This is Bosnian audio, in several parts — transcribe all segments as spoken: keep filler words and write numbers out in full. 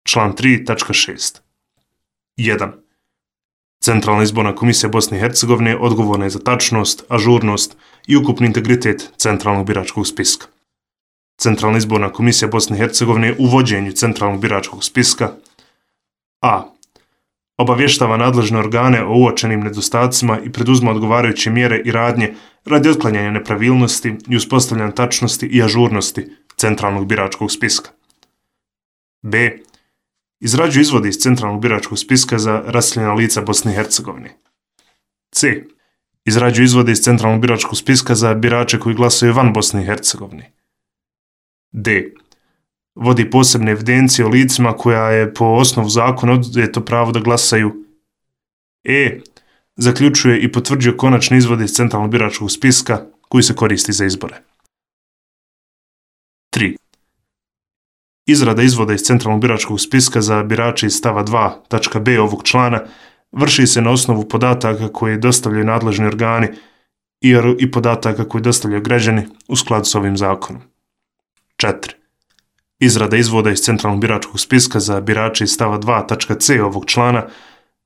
Član tri tačka šest. jedan. Centralna izborna komisija Bosne i Hercegovine odgovorna je za tačnost, ažurnost i ukupni integritet centralnog biračkog spiska. Centralna izborna komisija Bosne i Hercegovine u vođenju centralnog biračkog spiska a. Obavještava nadležne organe o uočenim nedostacima i preduzma odgovarajuće mjere i radnje radi otklanjanja nepravilnosti i uspostavljanja tačnosti i ažurnosti centralnog biračkog spiska. b. Izrađuje izvode iz centralnog biračkog spiska za raseljena lica Bosne i Hercegovine. c. Izrađuje izvode iz centralnog biračkog spiska za birače koji glasaju van Bosne i Hercegovine. d. Vodi posebne evidencije o licima koja je po osnovu zakona oduzeto pravo da glasaju. e. Zaključuje i potvrđuje konačne izvode iz centralnog biračkog spiska koji se koristi za izbore. tri. Izrada izvoda iz centralnog biračkog spiska za birače iz stava dva tačka b ovog člana vrši se na osnovu podataka koje dostavljaju nadležni organi i, i podataka koje dostavljaju građani u skladu s ovim zakonom. četiri. Izrada izvoda iz centralnog biračkog spiska za birače iz stava dva tačka c ovog člana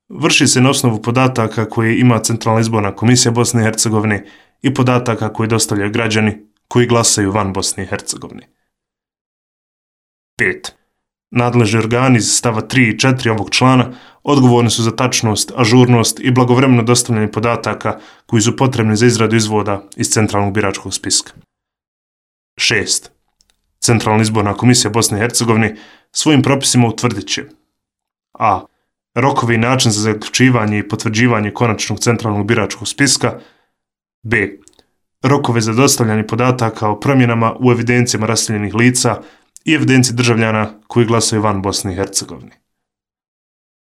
vrši se na osnovu podataka koje ima Centralna izborna komisija Bosne i Hercegovine i podataka koje dostavljaju građani koji glasaju van Bosne i Hercegovine. pet. Nadležni organi iz stava tri i četiri ovog člana odgovorni su za tačnost, ažurnost i blagovremeno dostavljanje podataka koji su potrebni za izradu izvoda iz centralnog biračkog spiska. šest. Centralna izborna komisija Bosne i Hercegovine svojim propisima utvrdit će a. Rokovi i način za zaključivanje i potvrđivanje konačnog centralnog biračkog spiska. b. Rokove za dostavljanje podataka o promjenama u evidencijama raseljenih lica i evidenciji državljana koji glasaju van Bosne i Hercegovine.